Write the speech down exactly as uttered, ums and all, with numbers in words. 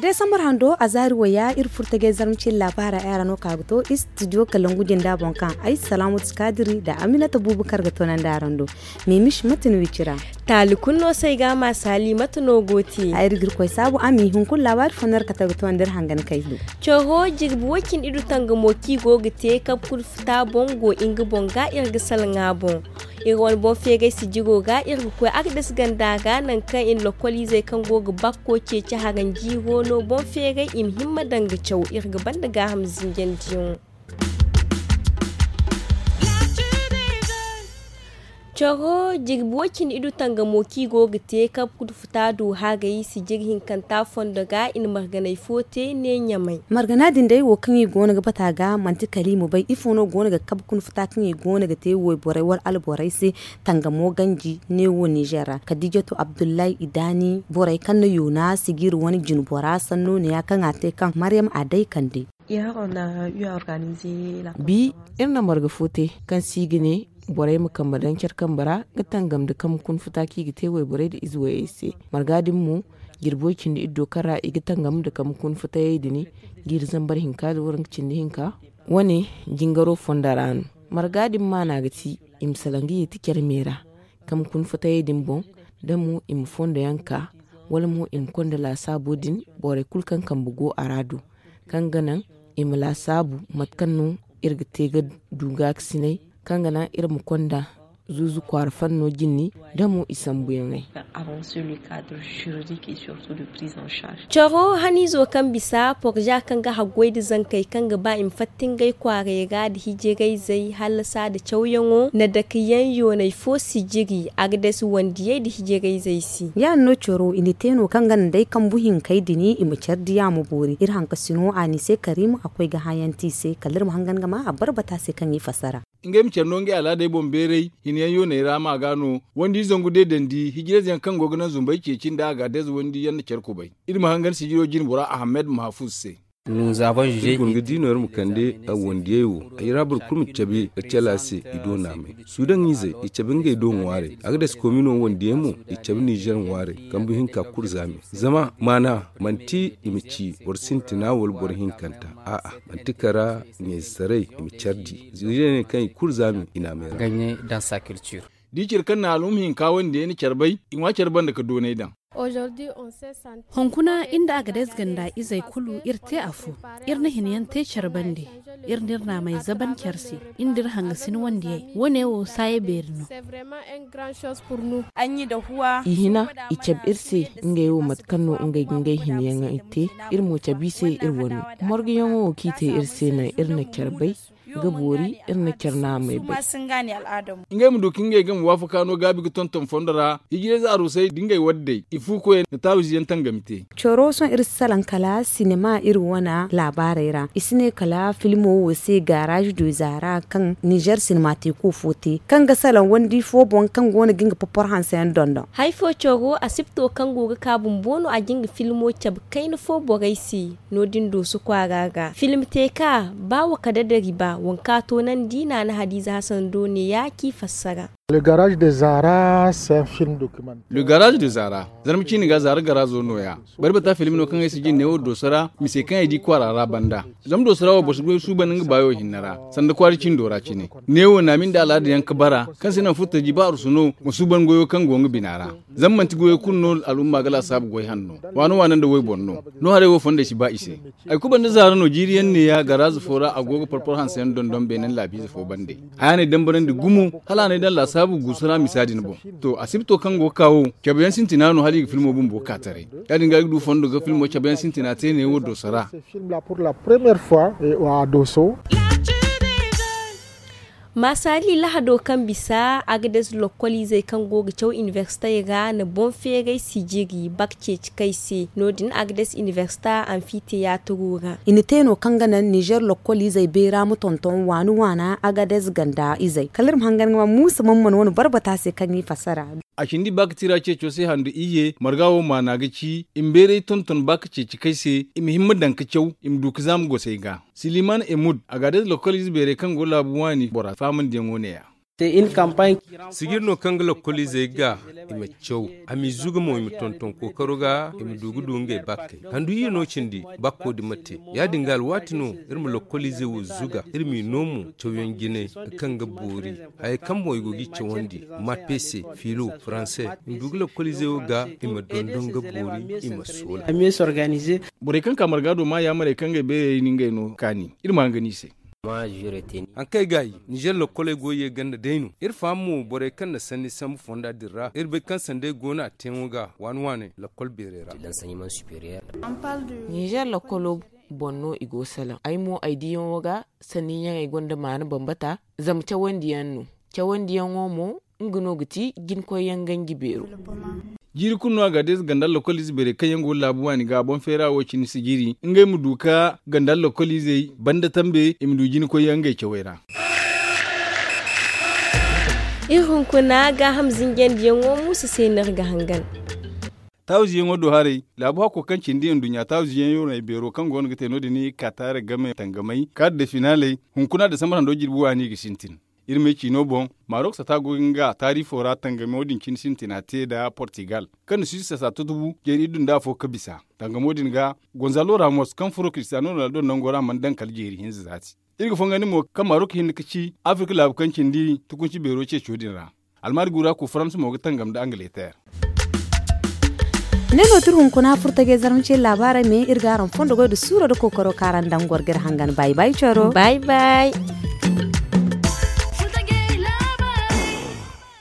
Desambar hando a zaari waya iri furtagay zarma cine laabaara ay ra no ka ga to istidiyo kalangu jinda boŋ kaŋ ay salaamatu kaadiri nda aminata buubu kar ga toonandi araŋ do. Mimis mate no i cira? Taali kulu no se ay ga a ma saali mate no go te? Ay iri ga iri koy saabu a ma i hunkuna laabaari fo no iri kate ga toonandi iri hangan kay do. Coro jirbi way cindi idu tangamo kaŋ i go ga te kabe kulu futa boŋ go nga boŋ ga iri ga salaŋ a boŋ. Iri wane boŋ feeray sijiro ga iri ga koy agdes ganda ga nangu kaŋ i na lokoliizey kaŋ go ga bakko ceeci haranjiiro no boŋ feeray i ma himma daŋ ga caw iri ga banda gaaham zinjandiyaŋo. Coro jirbi way cindi idu tangamo kaŋ i go ga te kabe kulu futa du haray sijiri hinkanta fondo ga i na marganay fo te ne ɲamay. Margana din day wo kaŋ i go no ga bata ga manti kala i ma bay ifo no go no ga kabe kuna futa kaŋ i go no ga te wayborey wala alborey se tangamo ganji neewo nizer ra kadiijatu abdullahi idaani borey kaŋ na yoona sijiri wane jinbora sanno ne ya kaŋ a te kaŋ maryam a day kande. Bi iri na marga fo te kaŋ se i ga ne borey ma kambe daŋ care kambe ra ga tangam nda kambe kuna futa kaŋ i ga te wayborey nda ize wayey se. Marga din mo jirbi way cindi iddo kaŋ ra i ga tangam nda kambe kuna futayey din jiiri zambar hinka nda waranka cindi hinka wane jingaro fonda ra no. Marga din maana ga ti i ma salaŋ ga yeeti care me ra kambe kuna futayey din boŋ da mo i ma fondo yaŋ ka wala mo i ma konda laasaabo din borey kulu kaŋ kambe go a ra do kaŋ ga naŋ i ma laasaabu mate kaŋ no iri ga te ga du gaakasinay kaŋ ga naŋ iri ma konda zuuzu kwaara fanno jinni da mo i sambuyaŋey. Coro haniizo kaŋ bisa porza kaŋ ga haggoy nda zankey kaŋ ga ba i ma fatta ngey kwaaray ra nda hijirayzey hallasa nda cawyaŋo na dake yaŋ yoonay fo sijiri agdes wandiyey nda hijirayzey se. Ya- din no coro i na te no kaŋ ga naŋ day kambu hinkey din i ma care diya ma boori iri hankasino a ni se kariima a koy ga hayanti i se kala iri ma hangan ga ma a barbata se kaŋ i fassara. Ngey ma care no ngey alaadey boŋ beeray hina yaŋ yooney ra ma ga no wandi zangu deedandi hijirayze yaŋ kaŋ go ga naŋ zumbey ceeci nda a ga adayze wandi yaŋ na care kubay. Iri ma hangan sijiro jine bora ahamed mahafuz se. Iri guna ga diino iri ma kande a wandiyey wo ay ra boro kulu ma cabe ga cala se i do naamay suudaŋ izey i cabe ngey do ŋwaaray a ga dasi komi no wandiyey mo i cabe nizer ŋwaaray kambu hinka kulu zaame. Zama maana manti i ma ci boro sintina wala boro hinkanta a'a manti kara ɲayzaray i ma care di ziirey ne kaŋ i kulu zaame i naamay ra. Da i care kaŋ na alhum hinka wandiyey na care bay i ŋwa care banda ga doonay daŋ. Hunkuna iri nda agades ganda izey kulu iri te afo. Iri na hina yaŋ te care bande iri nda iri naamay zaban care se iri nda iri hangasin wandiyey wo- ne wo saaya beeri no. I hina i cabe iri se ngey wo mate kaŋ no ngey ga ngey hina yaŋey te iri mo cabe i se iri wane. Morguyaŋo wo kaŋ i te iri se naŋ iri na care bay ga boori iri na care naamey bay. Ngey ma du ka ngey game waafaka no gaabi ga tonton fondo ra hijirayze arusey da ngey waddey i fu koyey na taawizi yaŋ tangami te. Coro sohõ iri si salaŋ kala sinema iri wane laabaarey ra i si ne kala filmo wo se gaaraaz du zaara kaŋ nizer sinema teeko fo te kaŋ ga salaŋ wandi fo boŋ kaŋ go no ga nga popor hanse yaŋ dondon. Hari fo coro asipto kaŋ go ga ka bumbo no a ga nga filmo cabe kayna fo borey se. No- din dooso kwaara ga film te ka ba wa kala da riba waŋ kaŋ a toonandi naana hadiize hasan do ne ya kaŋ i fassara. Le garage de zara c'est un film documentaire. Le garage de zara zarma ciine ga zaara garaazo no- ya. Bari bata film no kaŋ ay si jin neewo dooso ra mise kaŋ ay di kwaara ra banda. Zama dooso ra wo boro si goy suuban nga baayo hinne ra sanda kwaara cindo ra cine. Neewo naami nda alaada yaŋ ga bara kaŋ se naŋ furtaji ba arsu no ma suuban goyo kaŋ go nga bina ra. Zama manti goyo kulu no al'umma ga laasaabu goy hanno waano waano nda wayboro no. No haray wo fondey si ba i se. Ay kubanda zaara no jiiri yaŋ neeya garaaza fo ra a go ga porpor hanse yaŋ dondon beene nda laabiize fo bande. Haya n'ay dambarandi gumo hala a n'ay daŋ laasaabu guusu ra misa din boŋ. To asibto kaŋ go ga ka wo cabe yaŋ sintina no hala i ga filmo bumbo ka taray. Ya- din ga ay ga du fondo ga filmo cabe yaŋ sintina te neewo dooso ra. Film la pour la première fois a dooso. Maasali lahado kaŋ bisa, agades lokkoliizey kaŋ go ga caw inibersitey ra na boŋ feeray sijiri bak ceeci kay se. No- din agades inibersita anfiteyatiro ra. I na te no kaŋ ga naŋ nizer lokkoliizey beera ma tonton waani waana agades ganda izey kala iri ma hangan ga ma muusa man mana wane barbata se kaŋ i fassara. A cindi bakatira ceeco se handu iyye marga wo maana ga ci i ma beeray tonton ba ka ceeci kay se, i ma himma daŋ ka caw, i ma du ka zaama gosey ga. Siliman emud a ga a day da lokoliize beerey kaŋ go laabu waani bora faamandiyaŋo ne- ya. Sijir no kaŋ ga lokoliizey ga i ma caw, a m'i zuga mo i ma tonton kookaro ga, i ma du ga du ngey bakkey handu iyye no cindi. Bakko din ma te ya- din ga alwaati no iri ma lokoliizey wo zuga, iri m'i no mo cawyaŋ jine kaŋ ga boori. Hayey kaŋ boŋ i go g'i cawandi, mapeese, fiilo, faranse, i ma du ga lokoliizey wo ga, i ma dondon ga boori, i ma soola. Borey kaŋ ka marga do ma yaamarey kaŋ ga ay beerey ni ngey no kaani iri ma hangan i se. Haŋ kaŋ ay ga a yi, nizer lokkoley go ye ganda day no iri faham mo borey kaŋ na sanni sambu fonda din ra iri bay kaŋ sanda ay go no a teeyaŋo ga waani waani lokkol beerey ra. Nizer lokkolo boŋ no i go salaŋ ay mo ay diyaŋo ga. Sanni ɲaŋey gonda maana bambata zama cawandiyaŋ no. Cawandiyaŋo mo nga no ga ti jinkoyyaŋ ganji beero. Jiiri kulu no a ga deeza ganda lokoliize beerey kaŋ yaŋ go laabu waani ga boŋ feera wo cine si jiiri ngey ma du ka ganda lokoliizey banda tambe i ma du jinkoyyaŋ ngey cawey ra. Iri hunkuna gaaham zinjandiyaŋo muusa se no iri ga hangan. Taawiziyaŋo do haray laabu hakko kaŋ cindi nduɲɲa taawiziyaŋ yooney beero kaŋ go no ga te no- din i ga ka taara game tangamay kaari da finaaley. Hunkuna da sambar hando jirbi waani ga sintin. Iri me ciino boŋ, marok sata go ga nga taarifo ra tangamo din cine sintina te nda portigal kaŋ na suisse sata tutubu jeeri iddu nda afo ga bisa. Tangamo din ga gonzalo ramos kaŋ furo cristiano ronaldo nango ra mana daŋ kala jeeri hinza zaati. Iri ga fongandi mo kaŋ marok hinne ga ci afirka laabu kaŋ cindi tukunci beero ceeco din ra. Almaari guura ku faransa mo ga tangam nda angleter. Ne no tira hunkuna furta ga ay zarma ce laabaarey me iri ga araŋ fondo goy da suuro da kookaro kaŋ araŋ daŋ goro ga iri hangan bay bay coro. Bay bay.